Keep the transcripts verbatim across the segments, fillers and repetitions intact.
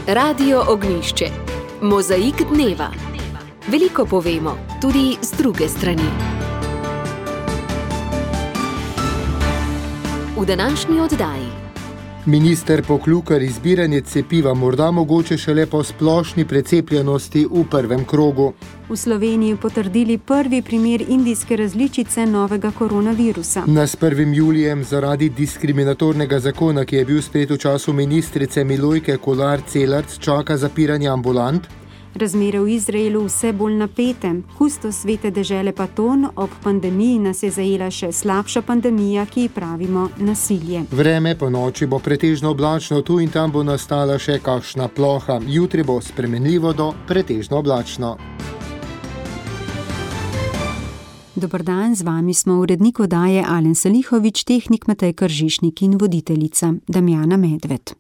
Radio Ognjišče. Mozaik dneva. Veliko povemo, tudi z druge strani. V današnji oddaji. Minister Poklukar izbiranje cepiva morda mogoče šele po splošni precepljenosti v prvem krogu. V Sloveniji potrdili prvi primer indijske različice novega koronavirusa. Nas prvim julijem zaradi diskriminatornega zakona, ki je bil sprejet v času ministrice Milojke Kolar Celarc, čaka zapiranje ambulant. Razmere v Izraelu vse bolj napete. Kustos svete dežele Paton, ob pandemiji nas je zajela še slabša pandemija, ki ji pravimo nasilje. Vreme po noči bo pretežno oblačno, tu in tam bo nastala še kakšna ploha. Jutri bo spremenljivo do pretežno oblačno. Dober dan, z vami smo urednik oddaje Alen Salihovič, tehnik Matej Kržišnik in voditeljica Damjana Medved.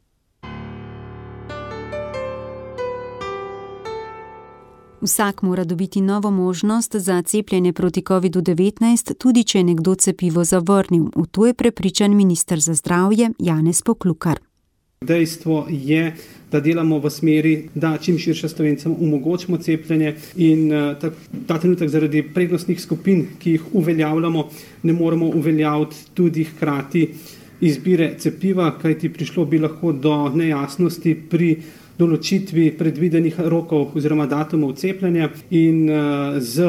Vsak mora dobiti novo možnost za cepljenje proti kovidu devetnajst, tudi če je nekdo cepivo zavrnil. V to je prepričan minister za zdravje Janez Poklukar. Dejstvo je, da delamo v smeri, da čim širše Slovencem omogočimo cepljenje in ta, ta trenutek zaradi prednostnih skupin, ki jih uveljavljamo, ne moremo uveljaviti tudi hkrati izbire cepiva, kajti prišlo bi lahko do nejasnosti pri določitvi predvidenih rokov oziroma datumov cepljenja in z,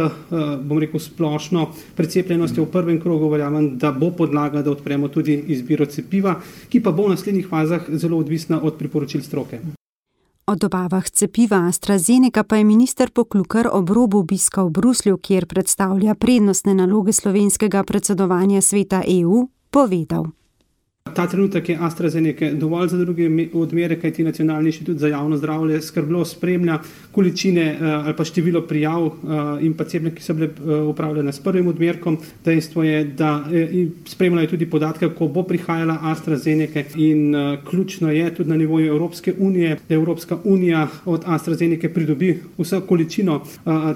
bom rekel, splošno precepljenostjo v prvem krogu verjamem, da bo podlaga, da odpremo tudi izbiro cepiva, ki pa bo v naslednjih fazah zelo odvisna od priporočil stroke. O dobavah cepiva AstraZeneca pa je minister Poklukar ob robu obiska v Bruslju, kjer predstavlja prednostne naloge slovenskega predsedovanja sveta E U, povedal. Ta trenutek je AstraZeneca dovolj za druge odmere, kajti Nacionalni inštitut za javno zdravje skrbno spremlja količine ali pa število prijav in pa cepljenj, ki so bile opravljene s prvim odmerkom. Dejstvo je, da spremljajo tudi podatke, ko bo prihajala AstraZeneca in ključno je tudi na nivoju Evropske unije, da Evropska unija od AstraZeneca pridobi vso količino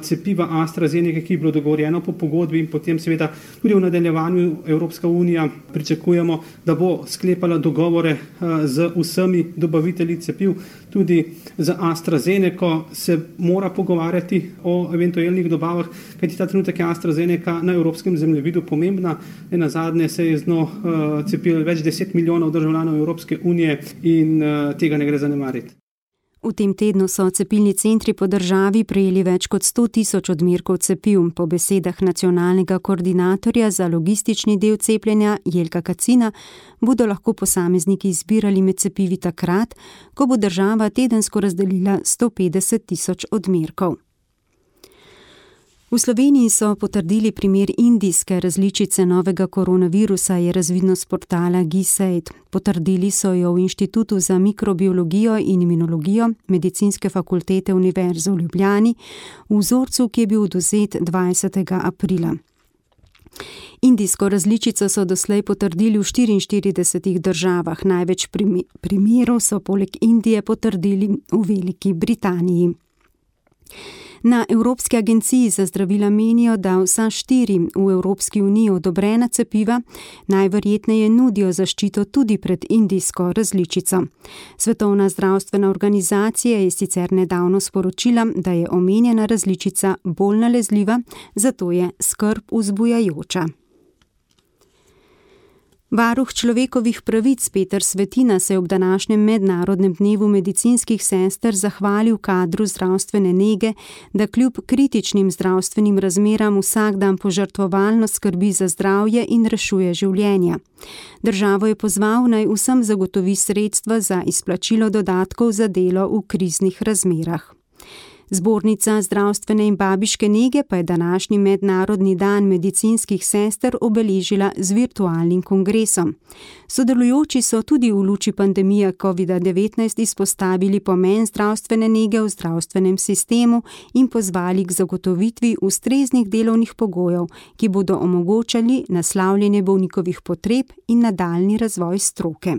cepiva AstraZeneca, ki je bilo dogovorjeno po pogodbi in potem seveda tudi v nadaljevanju Evropska unija pričakujemo, da bo sklepala dogovore z vsemi dobavitelji cepiv, tudi za AstraZeneca se mora pogovarjati o eventualnih dobavah, kajti ta trenutek je AstraZeneca na evropskem zemljevidu pomembna. Nazadnje se je z njo cepilo več deset milijonov državljanov Evropske unije in tega ne gre zanemariti. V tem tednu so cepilni centri po državi prejeli več kot sto tisoč odmerkov cepiv. Po besedah nacionalnega koordinatorja za logistični del cepljenja Jelka Kacina bodo lahko posamezniki izbirali med cepivi takrat, ko bo država tedensko razdelila sto petdeset tisoč odmerkov. V Sloveniji so potrdili primer indijske različice novega koronavirusa, je razvidno s portala GISAID. Potrdili so jo v Inštitutu za mikrobiologijo in imunologijo Medicinske fakultete Univerze v Ljubljani v vzorcu, ki je bil odvzet dvajsetega aprila. Indijsko različico so doslej potrdili v štiriinštiridesetih državah. Največ primerov so poleg Indije potrdili v Veliki Britaniji. Na Evropski agenciji za zdravila menijo, da vsa štiri v Evropski uniji odobrena cepiva najverjetneje nudijo zaščito tudi pred indijsko različico. Svetovna zdravstvena organizacija je sicer nedavno sporočila, da je omenjena različica bolj nalezljiva, zato je skrb vzbujajoča. Varuh človekovih pravic Peter Svetina se je ob današnjem mednarodnem dnevu medicinskih sester zahvalil kadru zdravstvene nege, da kljub kritičnim zdravstvenim razmeram vsak dan požrtvovalno skrbi za zdravje in rešuje življenja. Državo je pozval, naj vsem zagotovi sredstva za izplačilo dodatkov za delo v kriznih razmerah. Zbornica zdravstvene in babiške nege pa je današnji mednarodni dan medicinskih sester obeležila z virtualnim kongresom. Sodelujoči so tudi v luči pandemije covida devetnajst izpostavili pomen zdravstvene nege v zdravstvenem sistemu in pozvali k zagotovitvi ustreznih delovnih pogojev, ki bodo omogočali naslavljanje bolnikovih potreb in nadaljnji razvoj stroke.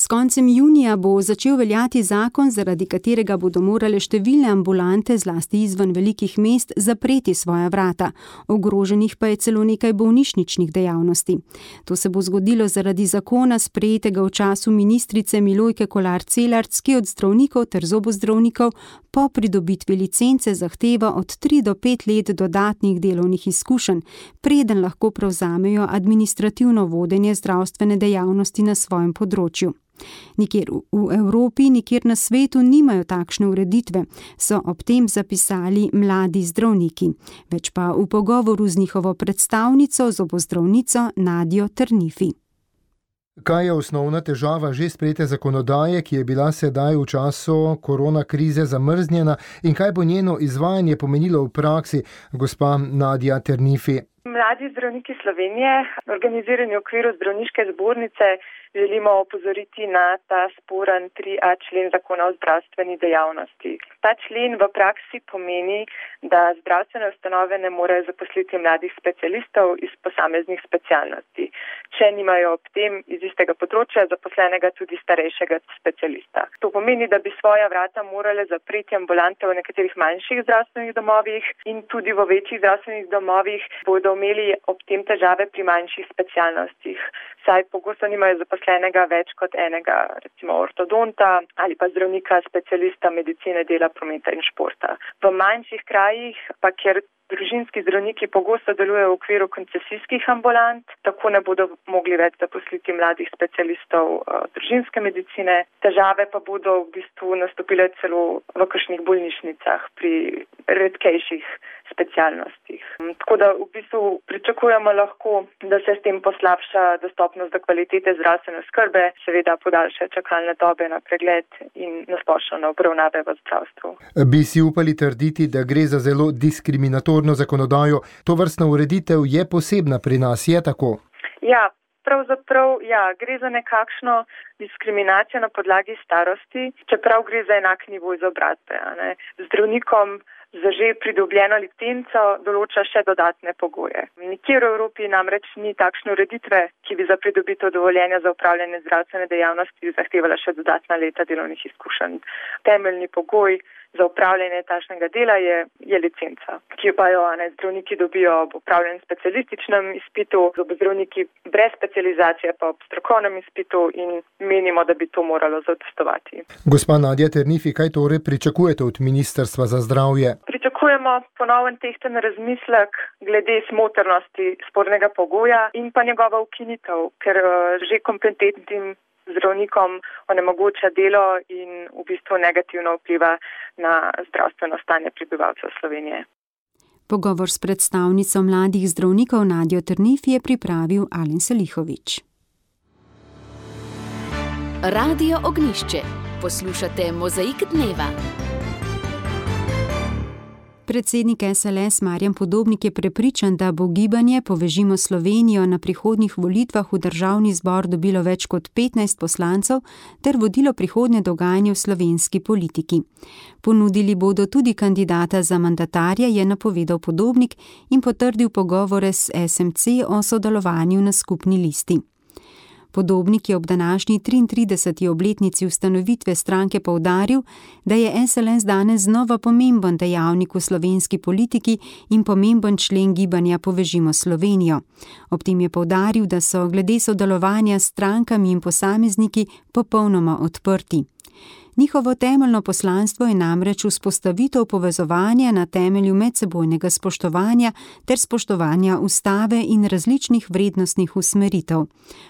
S koncem junija bo začel veljati zakon, zaradi katerega bodo morale številne ambulante, zlasti izven velikih mest, zapreti svoja vrata. Ogroženih pa je celo nekaj bolnišničnih dejavnosti. To se bo zgodilo zaradi zakona, sprejetega v času ministrice Milojke Kolar Celarc, ki od zdravnikov ter zobozdravnikov po pridobitvi licence zahteva od tri do pet let dodatnih delovnih izkušenj, preden lahko prevzamejo administrativno vodenje zdravstvene dejavnosti na svojem področju. Nikjer v Evropi, nikjer na svetu nimajo takšne ureditve, so ob tem zapisali mladi zdravniki. Več pa v pogovoru z njihovo predstavnico, zobozdravnico Nadjo Trnifi. Kaj je osnovna težava že sprejete zakonodaje, ki je bila sedaj v času korona krize zamrznjena, in kaj bo njeno izvajanje pomenilo v praksi, gospa Nadja Trnifi? Mladi zdravniki Slovenije, organizirani v okviru zdravniške zbornice, želimo opozoriti na ta sporen tri a člen zakona o zdravstveni dejavnosti. Ta člen v praksi pomeni, da zdravstvene ustanove ne morejo zaposliti mladih specialistov iz posameznih specialnosti, če nimajo ob tem iz istega področja zaposlenega tudi starejšega specialista. To pomeni, da bi svoja vrata morale zapreti ambulante v nekaterih manjših zdravstvenih domovih in tudi v večjih zdravstvenih domovih bodo imeli ob tem težave pri manjših specialnostih, saj pogosto nimajo zaposlenega več kot enega, recimo ortodonta ali pa zdravnika specialista medicine, dela, prometa in športa. V manjših krajih pa, kjer družinski zdravniki pogosto delujejo v okviru koncesijskih ambulant, tako ne bodo mogli več zaposliti mladih specialistov uh, družinske medicine. Težave pa bodo v bistvu nastopile celo v kakšnih bolnišnicah pri redkejših specialnostih. Tako da v bistvu pričakujemo lahko, da se s tem poslabša dostopnost do kvalitete zdravstvene oskrbe, seveda podaljša čakalne dobe na pregled in nasplošno na obravnave v zdravstvu. Bi si upali trditi, da gre za zelo diskriminatorno zakonodajo? Tovrstna ureditev je posebna pri nas, je tako? Ja, pravzaprav ja, gre za nekakšno diskriminacijo na podlagi starosti, čeprav gre za enak nivo izobrazbe. Zdravnikom za že pridobljeno licenco določa še dodatne pogoje. Nikjer v Evropi namreč ni takšne ureditve, ki bi za pridobitev dovoljenja za upravljanje zdravstvene dejavnosti zahtevala še dodatna leta delovnih izkušenj. Temeljni pogoj za upravljanje takšnega dela je, je licenca, ki pa jo ne, zdravniki dobijo ob upravljenem specialističnem izpitu, zobozdravniki brez specializacije pa ob strokovnem izpitu in menimo, da bi to moralo zadostovati. Gospa Nadja Trnifi, kaj torej pričakujete od Ministrstva za zdravje? Pričakujemo ponoven tehten razmislek glede smotrnosti spornega pogoja in pa njegova ukinitev, ker že kompetentnim zdravnikom onemogoča delo in v bistvu negativno vpliva na zdravstveno stanje prebivalcev Slovenije. Pogovor s predstavnico mladih zdravnikov Nadjo Trnifi je pripravil Alen Selihovič. Radio Ognjišče. Poslušate Mozaik dneva. Predsednik es el es Marjan Podobnik je prepričan, da bo gibanje Povežimo Slovenijo na prihodnjih volitvah v državni zbor dobilo več kot petnajst poslancev ter vodilo prihodnje dogajanje v slovenski politiki. Ponudili bodo tudi kandidata za mandatarja, je napovedal Podobnik in potrdil pogovore s es em ce o sodelovanju na skupni listi. Podobnik je ob današnji triintrideseti obletnici ustanovitve stranke poudaril, da je es el es danes znova pomemben dejavnik v slovenski politiki in pomemben člen gibanja Povežimo Slovenijo. Ob tem je poudaril, da so glede sodelovanja s strankami in posamezniki popolnoma odprti. Njihovo temeljno poslanstvo je namreč vzpostavitev povezovanja na temelju medsebojnega spoštovanja ter spoštovanja ustave in različnih vrednostnih usmeritev.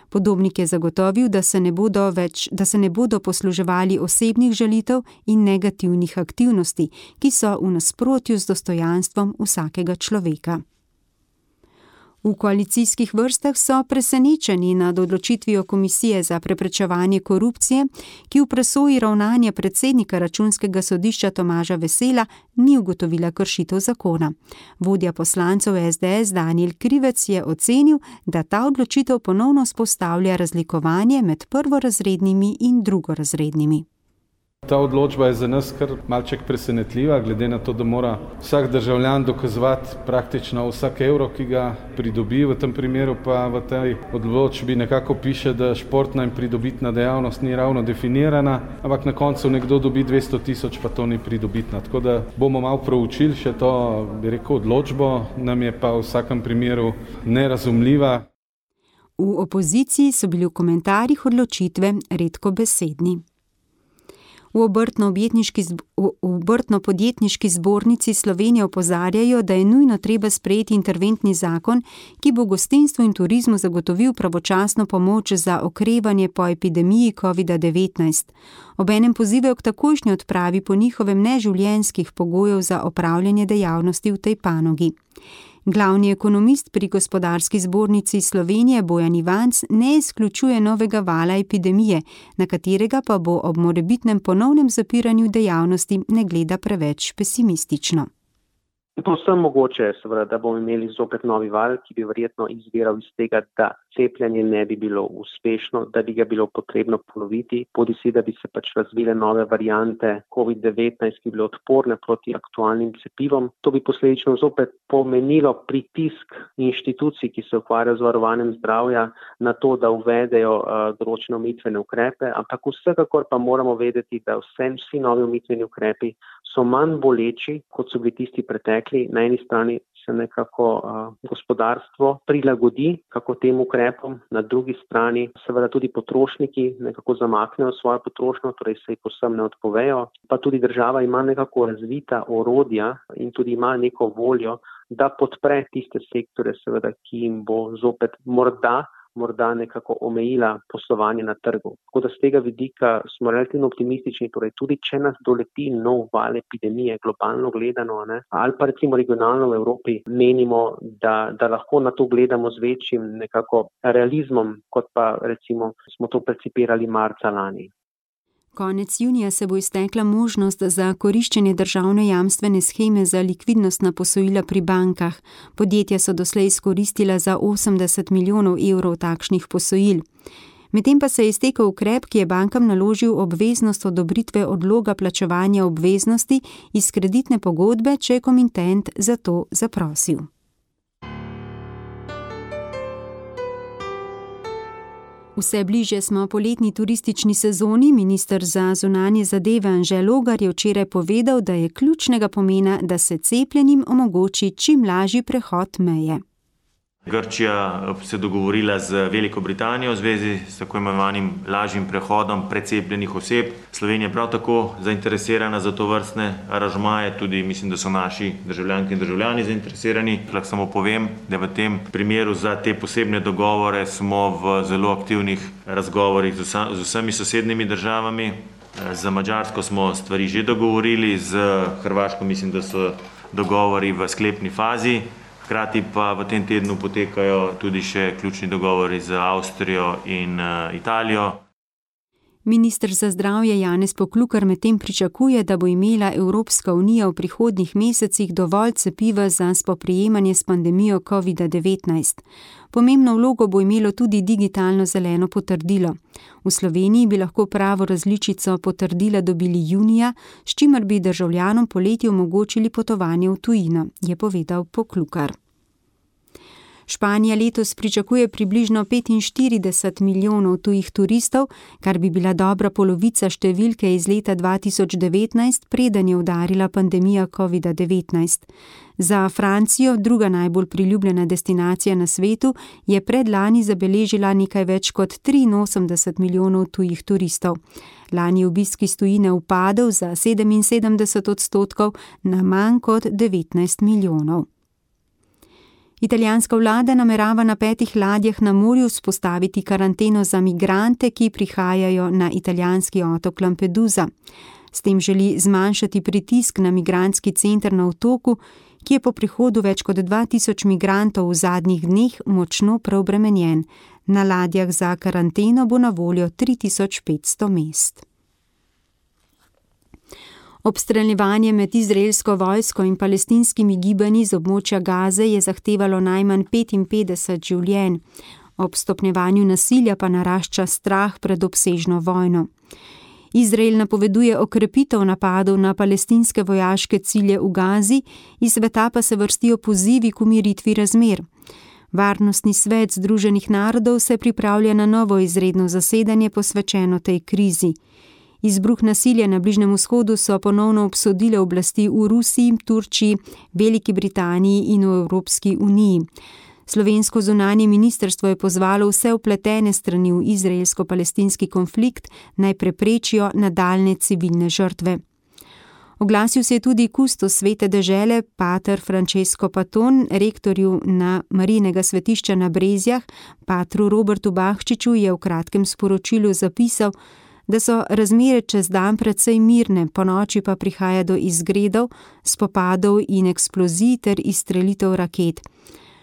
Podobnik je zagotovil, da se ne bodo več, da se ne bodo posluževali osebnih žalitev in negativnih aktivnosti, ki so v nasprotju z dostojanstvom vsakega človeka. V koalicijskih vrstah so presenečeni nad odločitvijo Komisije za preprečevanje korupcije, ki v presoji ravnanja predsednika Računskega sodišča Tomaža Vesela ni ugotovila kršitev zakona. Vodja poslancev es de es Danijel Krivec je ocenil, da ta odločitev ponovno vzpostavlja razlikovanje med prvorazrednimi in drugorazrednimi. Ta odločba je za nas kar malček presenetljiva, glede na to, da mora vsak državljan dokazovati praktično vsak evro, ki ga pridobi. V tem primeru pa v tej odločbi nekako piše, da športna in pridobitna dejavnost ni ravno definirana, ampak na koncu nekdo dobi dvesto tisoč, pa to ni pridobitna. Tako da bomo malo proučili še to, bi rekel, odločbo, nam je pa v vsakem primeru nerazumljiva. V opoziciji so bili v komentarjih odločitve redko besedni. V Obrtno-podjetniški zbornici Slovenije opozarjajo, da je nujno treba sprejeti interventni zakon, ki bo gostinstvu in turizmu zagotovil pravočasno pomoč za okrevanje po epidemiji covida devetnajst. Obenem pozivajo k takojšnji odpravi po njihovem neživljenjskih pogojev za opravljanje dejavnosti v tej panogi. Glavni ekonomist pri Gospodarski zbornici Slovenije Bojan Ivanc ne izključuje novega vala epidemije, na katerega pa bo ob morebitnem ponovnem zapiranju dejavnosti ne gleda preveč pesimistično. Povsem mogoče, seveda, da bomo imeli zopet novi val, ki bi verjetno izviral iz tega, da cepljenje ne bi bilo uspešno, da bi ga bilo potrebno ponoviti, bodisi da bi se pač razvile nove variante covid devetnajst, ki bi bile odporne proti aktualnim cepivom. To bi posledično zopet pomenilo pritisk inštitucij, ki se ukvarjajo z varovanjem zdravja, na to, da uvedejo uh, določene omejitvene ukrepe, ampak vsekakor pa moramo vedeti, da vsem vsi novi omejitveni ukrepi so manj boleči, kot so bili tisti pretekli. Na eni strani se nekako uh, gospodarstvo prilagodi kako tem ukrepom, na drugi strani seveda tudi potrošniki nekako zamaknejo svojo potrošnjo, torej se jih povsem ne odpovejo, pa tudi država ima nekako razvita orodja in tudi ima neko voljo, da podpre tiste sektore, seveda, ki jim bo zopet morda morda nekako omejila poslovanje na trgu. Tako da z tega vidika smo relativno optimistični, torej tudi če nas doleti nov val epidemije, globalno gledano, ne, ali pa recimo regionalno v Evropi, menimo, da, da lahko na to gledamo z večjim nekako realizmom, kot pa recimo smo to percipirali marca lani. Konec junija se bo iztekla možnost za koriščenje državne jamstvene sheme za likvidnostna posojila pri bankah. Podjetja so doslej izkoristila za osemdeset milijonov evrov takšnih posojil. Medtem pa se je iztekel ukrep, ki je bankam naložil obveznost odobritve odloga plačevanja obveznosti iz kreditne pogodbe, če je komitent za to zaprosil. Vse bliže smo poletni turistični sezoni. Minister za zunanje zadeve Anže Logar je včeraj povedal, da je ključnega pomena, da se cepljenim omogoči čim lažji prehod meje. Grčija se je dogovorila z Veliko Britanijo v zvezi s tako imenovanim lažjim prehodom precepljenih oseb. Slovenija je prav tako zainteresirana za to vrstne aranžmaje, tudi mislim, da so naši državljanke in državljani zainteresirani. Lahko samo povem, da v tem primeru za te posebne dogovore smo v zelo aktivnih razgovorih z, vsa, z vsemi sosednjimi državami. Za Madžarsko smo stvari že dogovorili, z Hrvaško mislim, da so dogovori v sklepni fazi. Hkrati pa v tem tednu potekajo tudi še ključni dogovori z Avstrijo in uh, Italijo. Minister za zdravje Janez Poklukar medtem pričakuje, da bo imela Evropska unija v prihodnjih mesecih dovolj cepiva za spoprijemanje s pandemijo covida devetnajst. Pomembno vlogo bo imelo tudi digitalno zeleno potrdilo. V Sloveniji bi lahko pravo različico potrdila dobili junija, s čimer bi državljanom poleti omogočili potovanje v tujino, je povedal Poklukar. Španija letos pričakuje približno petinštirideset milijonov tujih turistov, kar bi bila dobra polovica številke iz leta dva tisoč devetnajst, preden je udarila pandemija covida devetnajst. Za Francijo, druga najbolj priljubljena destinacija na svetu, je predlani zabeležila nekaj več kot triinosemdeset milijonov tujih turistov. Lani obisk iz tujine upadel za sedeminsedemdeset odstotkov na manj kot devetnajst milijonov. Italijanska vlada namerava na petih ladjah na morju vzpostaviti karanteno za migrante, ki prihajajo na italijanski otok Lampedusa. S tem želi zmanjšati pritisk na migrantski center na otoku, ki je po prihodu več kot dva tisoč migrantov v zadnjih dneh močno preobremenjen. Na ladjah za karanteno bo na voljo tri tisoč petsto mest. Obstreljevanje med izraelsko vojsko in palestinskimi gibanji z območja Gaze je zahtevalo najmanj petinpetdeset življenj. Ob stopnjevanju nasilja pa narašča strah pred obsežno vojno. Izrael napoveduje okrepitev napadov na palestinske vojaške cilje v Gazi, iz sveta pa se vrstijo pozivi k umiritvi razmer. Varnostni svet Združenih narodov se pripravlja na novo izredno zasedanje posvečeno tej krizi. Izbruh nasilja na Bližnjem vzhodu so ponovno obsodile oblasti v Rusiji, Turčiji, Veliki Britaniji in v Evropski uniji. Slovensko zunanje ministrstvo je pozvalo vse vpletene strani v izraelsko-palestinski konflikt, naj preprečijo nadaljnje civilne žrtve. Oglasil se je tudi kustos Svete dežele, pater Francesco Paton, rektorju na Marijinega svetišča na Brezjah, patru Robertu Bahčiču je v kratkem sporočilu zapisal, da so razmere čez dan precej mirne, ponoči pa prihaja do izgredov, spopadov in eksplozij ter izstrelitev raket.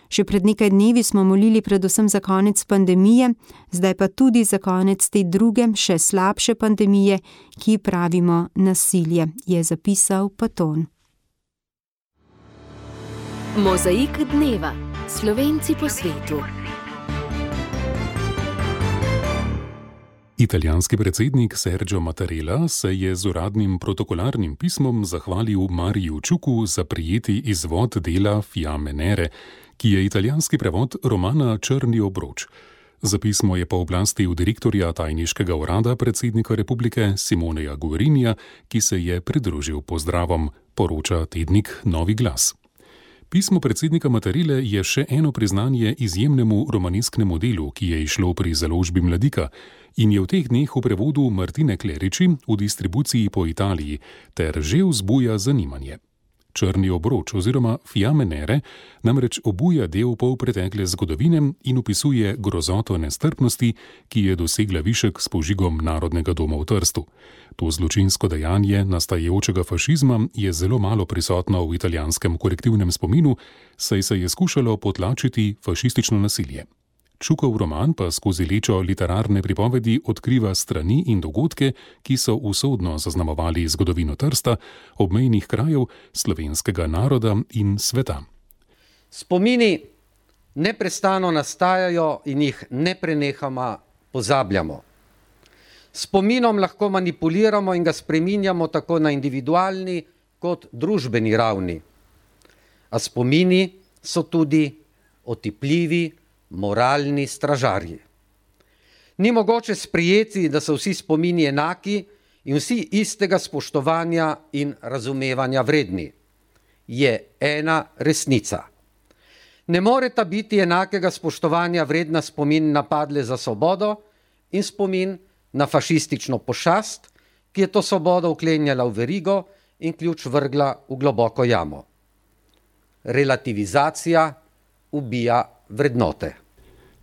Še pred nekaj dnevi smo molili predvsem za konec pandemije, zdaj pa tudi za konec te druge, še slabše pandemije, ki pravimo nasilje, je zapisal Paton. Mozaik dneva. Slovenci po svetu. Italijanski predsednik Sergio Mattarella se je z uradnim protokolarnim pismom zahvalil Mariju Čuku za prijeti izvod dela Fiamme Nere, ki je italijanski prevod romana Črni obroč. Za pismo je pooblastil direktorja tajniškega urada predsednika republike Simoneja Guerinija, ki se je pridružil pozdravom, poroča tednik Novi glas. Pismo predsednika Mattarelle je še eno priznanje izjemnemu romanesknemu delu, ki je izšlo pri založbi Mladika in je v teh dneh v prevodu Martine Kleriči v distribuciji po Italiji ter že vzbuja zanimanje. Črni obroč oziroma Fiamme Nere namreč obuja del polpretekle zgodovine in opisuje grozoto nestrpnosti, ki je dosegla višek s požigom Narodnega doma v Trstu. To zločinsko dejanje nastajajočega fašizma je zelo malo prisotno v italijanskem kolektivnem spominu, saj se je skušalo potlačiti fašistično nasilje. Čukov roman pa skozi lečo literarne pripovedi odkriva strani in dogodke, ki so usodno zaznamovali zgodovino Trsta, obmejnih krajev, slovenskega naroda in sveta. Spomini neprestano nastajajo in jih neprenehoma pozabljamo. Spominom lahko manipuliramo in ga spreminjamo tako na individualni kot družbeni ravni. A spomini so tudi otipljivi, moralni stražarji. Ni mogoče sprijeti, da so vsi spomini enaki in vsi istega spoštovanja in razumevanja vredni. Je ena resnica. Ne moreta biti enakega spoštovanja vredna spomin napadle za svobodo in spomin na fašistično pošast, ki je to svobodo vklenjala v verigo in ključ vrgla v globoko jamo. Relativizacija ubija vrednote.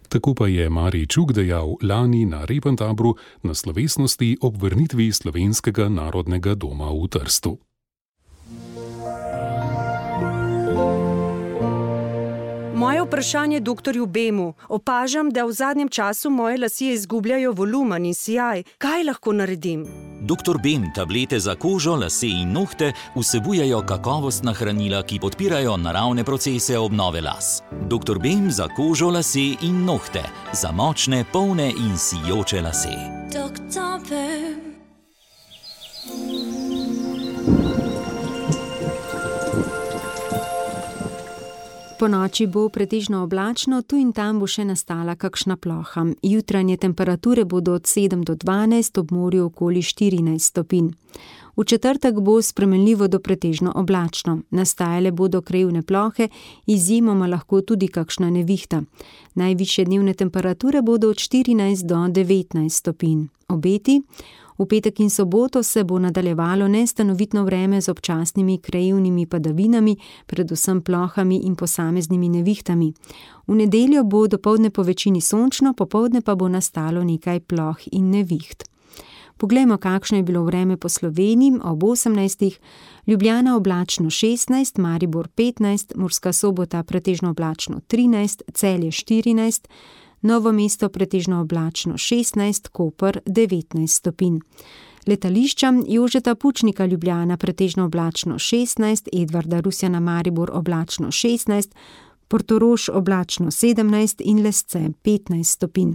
Tako pa je Marij Čuk dejal lani na Repentabru na slovesnosti ob vrnitvi Slovenskega narodnega doma v Trstu. Moje vprašanje doktorju Bemu. Opažam, da v zadnjem času moje lasje izgubljajo volumen in sijaj. Kaj lahko naredim? doktor Bem tablete za kožo, lase in nohte vsebujejo kakovostna hranila, ki podpirajo naravne procese obnove las. doktor Bem za kožo, lase in nohte. Za močne, polne in sijoče lase. doktor Bem. Po noči bo pretežno oblačno, tu in tam bo še nastala kakšna ploha. Jutranje temperature bodo od sedem do dvanajst, ob morju okoli štirinajst stopinj. V četrtek bo spremenljivo do pretežno oblačno. Nastajale bodo krajevne plohe, izjemoma lahko tudi kakšna nevihta. Najvišje dnevne temperature bodo od štirinajst do devetnajst stopinj. Obeti? V petek in soboto se bo nadaljevalo nestanovitno vreme z občasnimi krajevnimi padavinami, predvsem plohami in posameznimi nevihtami. V nedeljo bo dopoldne po večini sončno, popoldne pa bo nastalo nekaj ploh in neviht. Poglejmo, kakšno je bilo vreme po Sloveniji ob osemnajstih. Ljubljana oblačno šestnajst, Maribor petnajst, Murska Sobota pretežno oblačno trinajst, Celje štirinajst, Novo mesto pretežno oblačno šestnajst, Koper devetnajst stopinj. Letališča Jožeta Pučnika Ljubljana pretežno oblačno šestnajst, Edvarda Rusjana Maribor oblačno šestnajst, Portorož oblačno sedemnajst in Lesce petnajst stopinj.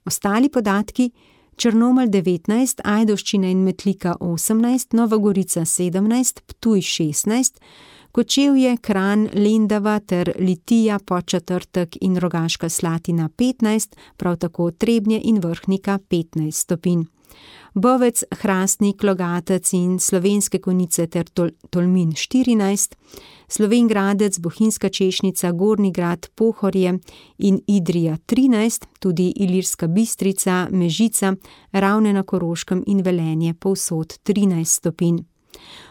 Ostali podatki: Črnomelj devetnajst, Ajdovščina in Metlika osemnajst, Nova Gorica sedemnajst, Ptuj šestnajst, Kočevje, Kranj, Lendava ter Litija, Podčetrtek in Rogaška Slatina petnajst, prav tako Trebnje in Vrhnika petnajst stopinj. Bovec, Hrastnik, Logatec in Slovenske Konjice ter Tol- Tolmin štirinajst, Slovenj Gradec, Bohinjska Češnica, Gornji Grad, Pohorje in Idrija trinajst, tudi Ilirska Bistrica, Mežica, Ravne na Koroškem in Velenje povsod trinajst stopinj.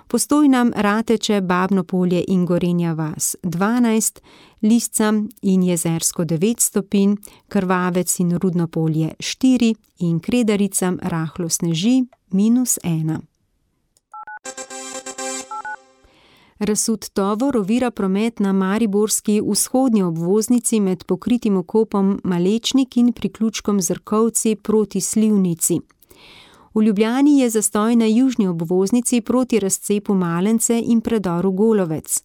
Postojna, Rateče, Babno Polje in Gorenja vas dvanajst, Lisca in Jezersko devet stopinj, Krvavec in Rudno Polje štiri in Kredarica rahlo sneži minus ena. Razsut tovor ovira promet na mariborski vzhodnji obvoznici med pokritim okopom Malečnik in priključkom Zrkovci proti Slivnici. V Ljubljani je zastoj na južni obvoznici proti razcepu Malence in predoru Golovec.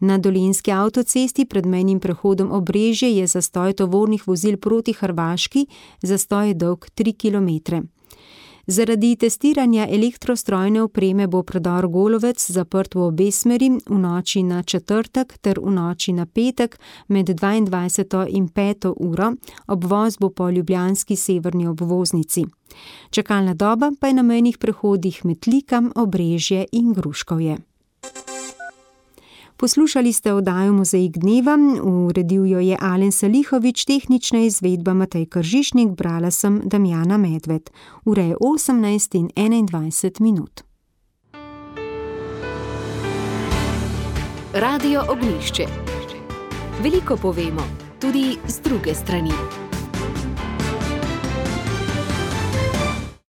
Na Dolenjski avtocesti pred mejnim prehodom Obrežje je zastoj tovornih vozil proti Hrvaški, zastoj je dolg tri kilometre. Zaradi testiranja elektrostrojne opreme bo predor Golovec zaprt v obe smeri v noči na četrtek ter v noči na petek med dvaindvajseto in peto uro, obvoz bo po ljubljanski severni obvoznici. Čakalna doba pa je na mejnih prehodih Metlika, Obrežje in Gruškovje. Poslušali ste oddajo Mozaik dneva, uredil jo je Alen Salihovič, tehnična izvedba Matej Kržišnik, brala sem Damjana Medved. Ura je osemnajst in enaindvajset minut. Radio Ognjišče. Veliko povemo, tudi z druge strani.